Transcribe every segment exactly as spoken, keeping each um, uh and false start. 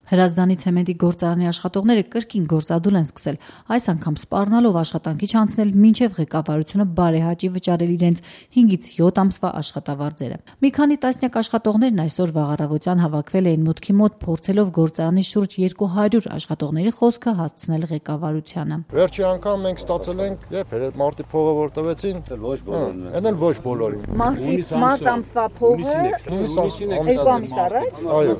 Հրազդանի ցեմենտի գործարանի աշխատողները կրկին գործադուլ են սկսել, այս անգամ սպառնալով աշխատանքի չանցնել մինչև ղեկավարությունը բարեհաճի վճարել իրենց հինգից յոթ ամսվա աշխատավարձերը։ Մի քանի տասնյակ աշխատողներն այսօր վաղ առավոտյան հավաքվել էին մուտքի մոտ, փորձելով գործարանի շուրջ երկու հարյուր աշխատողների խոսքը հասցնել ղեկավարությանը։ Վերջի անգամ մենք ստացել ենք, երբ էր մարտի փողը որ տվեցին, ոչ բոլորին, այնէլ ոչ բոլորին։ Մարտի մարտ ամսվա փողը երկու ամիս առաջ։ Այո,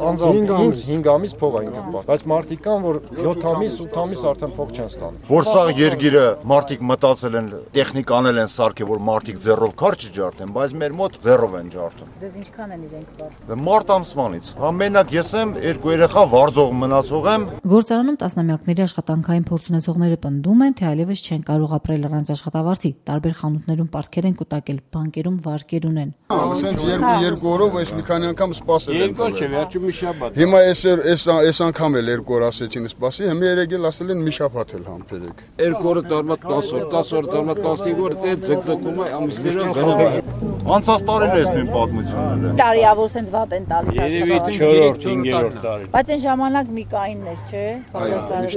անձամբ հինգ ամիս փող այն կպա, բայց մարդիկ կան, որ յոթ ամիս, ութ ամիս արդեն փող չեն ստանում։ Որ սա երգիրը մարդիկ մտածել են, տեխնիկանել են սարքել, որ մարդիկ ձեռով քար չջարդեն, բայց մեր մոտ ձեռով են ջարդում։ Ձեզ ինչքան են իրենք վար։ Մարտ ամսվանից։ Ամենակ ես եմ, երկու երեխա վարձող մնացող եմ։ Գործարանում տասնամյակների աշխատանքային փորձ ունեցողները պնդում են, թե այլևս չեն կարող ապրել առանց աշխատավարձի։ Տարբեր խանութներում պարտքեր են կուտակել, բանկերում վարկեր ունեն։ Ասենք երկու երկու օրով այս մի քանի անգամ սպասել են։ Երկու չէ, վերջում մի շաբաթ։ Հիմա այս այս անգամ էլ երկու օր ասեցին սպասի, հիմա երեք էլ ասել են մի շաբաթ էլ համբերեք։ Երկու օրը տարվա տասը օր, տասը օր տարվա տասնհինգ օր դե ձգձգում է ամիսներով գնում։ Անցած տարին էս նույն պատմությունները։ Տարիավոր սենց վատ են տալիս աշխատանքը։ Երևի չորրորդ, հինգերորդ տարի։ Բայց այն ժամանակ մի կայինն էս, չէ՞։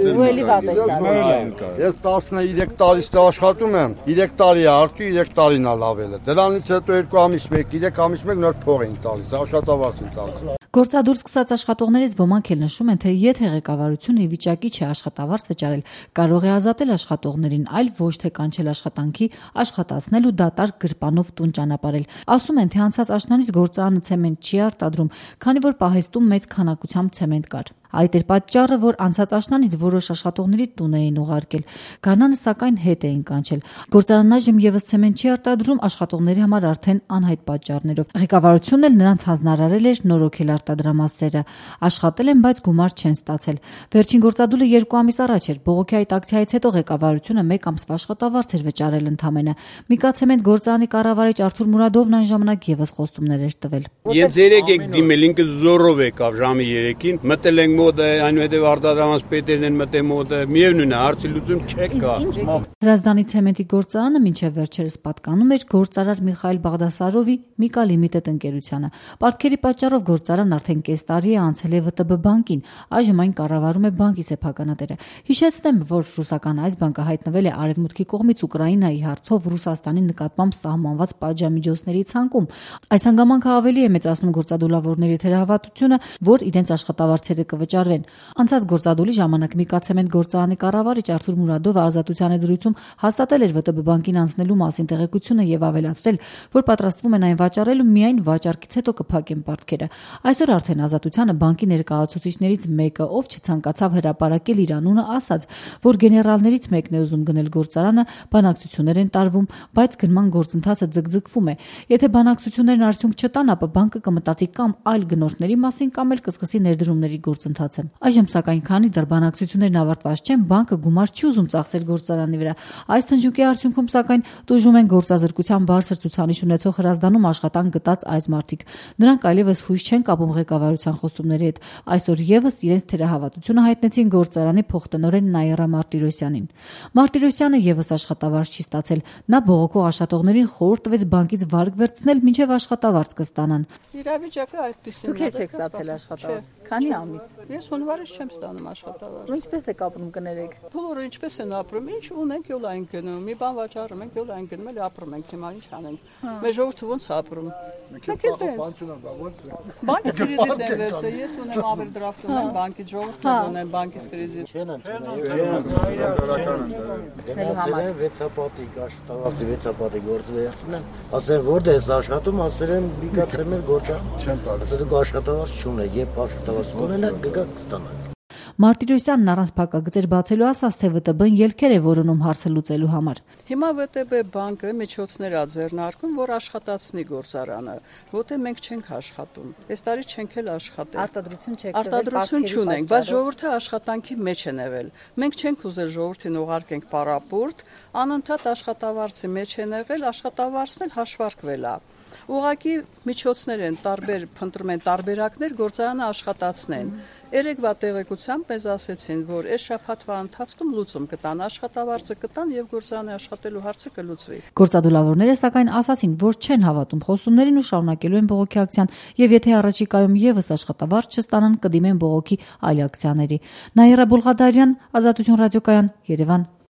Ու էլի վատ է տալիս։ Ես տասնյոթ տարից աշխատում եմ, երեք տարի է արդյունք, երեք տարին է լավել է։ Դրանից հետո երկու ամիս մեկ, երեք ամիս մեկ նոր փող էին տալիս, աշխատավարձ են տալիս։ Գործադուլ սկսած աշխատողներից ոմանք էլ նշում են, թե եթե ղեկավարությունը ի վիճակի չէ աշխատավարձ վճարել, կարող է ազատել աշխատողներին, այլ ոչ թե կանչել աշխատանքի, աշխատացնել ու դատարկ գրպանով տուն ճանապարհել։ Ասում են, թե անցած աշնանից գործարանը ցեմենտ չի արտադրում, քանի որ պահեստում մեծ քանակությամբ ցեմենտ կար։ Այդ էր պատճառը, որ անցած աշնանից որոշ աշխատողների տուն էին ուղարկել։ Գարնանը սակայն հետ էին կանչել։ Գործարանն այժմ եւս ցեմենտ չի արտադրում աշխատողների համար արդեն անհայտ պատճառներով։ Ղեկավարությունն էլ նրանց հանձնարարել էր նորոգել արտադրամասերը։ Աշխատել են, բայց գումար չեն ստացել։ Վերջին գործադուլը երկու ամիս առաջ էր։ Բողոքի այդ ակցիայից հետո ղեկավարությունը մեկ ամսվա աշխատավարձ էր վճարել ընդամենը։ Միկա ցեմենտ գործարանի կառավարիչ Արթուր Մուրադովն այն ժամանակ եւս խոստումներ էր տվել։ Ես երեք եք դիմել, ինքը զորով եկավ ժամի երեքին, մտել ենք մոտ այնուհետև արտադրամաս պետերն են մտել մոտը, միևնույն է, հարցի լուծում չկա։ Հրազդանի ցեմենտի գործարանը մինչև վերջերս պատկանում էր գործարար Միխայել Բաղդասարովի Միկա Լիմիտեդ ընկերությանը։ Պարտքերի պատճառով գործարանն արդեն կես տարի է անցել է ՎՏԲ բանկին, այժմ այն կառավարում է բանկի սեփականատերը։ Հիշեցնեմ, որ ռուսական այս բանկը հայտնվել է Արևմուտքի կողմից Ուկրաինայի հարցով Ռուսաստանի նկատմամբ սահմանված պատժամիջոցների ցանկում։ Այս հանգամանքը ավելի է մեծացնում գործադուլավորների թերահավատությունը, որ իրենց աշխատավարձերը կվճարվեն։ Անցած գործադուլի ժամանակ Միկա ցեմենտ գործարանի կառավարիչ Արթուր Մուրադովը ազատության զրույցում հաստատել էր ՎՏԲ բանկին անցնելու մասին տեղեկությունը եւ ավելացրել, որ պատրաստվում են այն վաճառել ու միայն վաճառքից հետո կփակեն պարտքերը։ Այսօր արդեն ազատությանը բանկի ներկայացուցիչներից մեկը, ով չցանկացավ հրապարակել իր անունը, ասաց, որ գեներալներից մեկն է ուզում գնել գործարանը, բանակցություններ են տարվում, բայց գնման գործընթացը ձգձգվում է։ Եթե բանակցություններն արդյունք չտան, ապա բանկը կմտածի կամ այլ գնորդների մասին, կամ էլ կսկսի ներդրումների գործընթացը։ Այժմ սակայն քանի դեռ բանակցություններն ավարտված չեն, բանկը գումար չի ուզում ծախսել գործարանի վրա։ Այս թնջուկի արդյունքում սակայն տուժում են գործազրկության բարձր ցուցանիշ ունեցող Հրազդանում աշխատանք գտած այս մարդիկ։ Նրանք այլևս հույս չեն կապում ղեկավարության խոստումների հետ։ Այսօր եւս իրենց թերահավատությունը հայտնեցին գործարանի փոխտնօրեն Նաիրա Մարտիրոսյանին։ Մարտիրոսյանը եւս աշխատավարձ չի ստացել։ Նա բողոքող աշխատողներին խորհուրդ տվեց բանկից վարկ վերցնել, մինչև աշխատավարձ կստանան։ Իրավիճակը այդպեսին է։ Դուք եք ստացել աշխատավարձ։ Քանի ամիս։ Ես հունվարից չեմ ստանում աշխատավարձ։ Ինչպես եք ապրում, կներեք։ Բոլորը ինչպես են ապրում, ինչ ունենք, յոլ այն գնում։ Մի բան վաճառում ենք, յոլ այն գնում, էլ ապրում ենք, հիմա ինչ անենք։ Մեր ժողովուրդը ոնց ապրում։ Մենք էլ բանկից կրեդիտ են վերցել, ես ունեմ ավերդրաֆտ ունեմ, բանկից ժողովուրդը ունեմ, բանկից կրեդիտ։ Չեն Գնացել են վեցապատիկ աշխատավարձի վեցապատիկ գործ վերցնեն, ասեն որտե՞ղ ես աշխատում, ասել են Միկա ցեմենտ գործարան։ Չեն տալիս։ Ասել դուք աշխատավարձ չունեք, երբ աշխատավարձ կունենաք, կգաք կստանաք։ Մարտիրոսյանն առանց փակագծեր բացելու ասաց, թե ՎՏԲ-ն ելքեր է որոնում հարցը լուծելու համար։ Հիմա ՎՏԲ բանկը միջոցներ ա ձեռնարկում, որ աշխատացնի գործարանը, որտեղ մենք չենք աշխատում։ Այս տարի չենք էլ աշխատել։ Արտադրություն չեք Արտադրություն չունենք, բայց ժողովուրդը աշխատանքի մեջ է եղել։ Մենք չենք ուզել ժողովրդին ուղարկենք պարապուրտ, անընդհատ աշխատավարձի մեջ են եղել, աշխատավարձն էլ հաշվարկվել է։ Ուղղակի միջոցներ են, տարբեր փնտրում են տարբերակներ գործարանը աշխատացնեն։ Երեկվա տեղեկությամբ մեզ ասեցին, որ այս շաբաթվա ընթացքում լուծում կտան, աշխատավարձը կտան եւ գործարանը աշխատելու հարցը կլուծվի։ Գործադուլավորները սակայն ասացին, որ չեն հավատում խոստումներին ու շարունակելու են բողոքի ակցիան եւ եթե առաջիկայում եւս աշխատավարձ չստանան, կդիմեն բողոքի այլ ակցիաների։ Նաիրա Բուլղադարյան, Ազատություն ռադիոկայան, Երևան։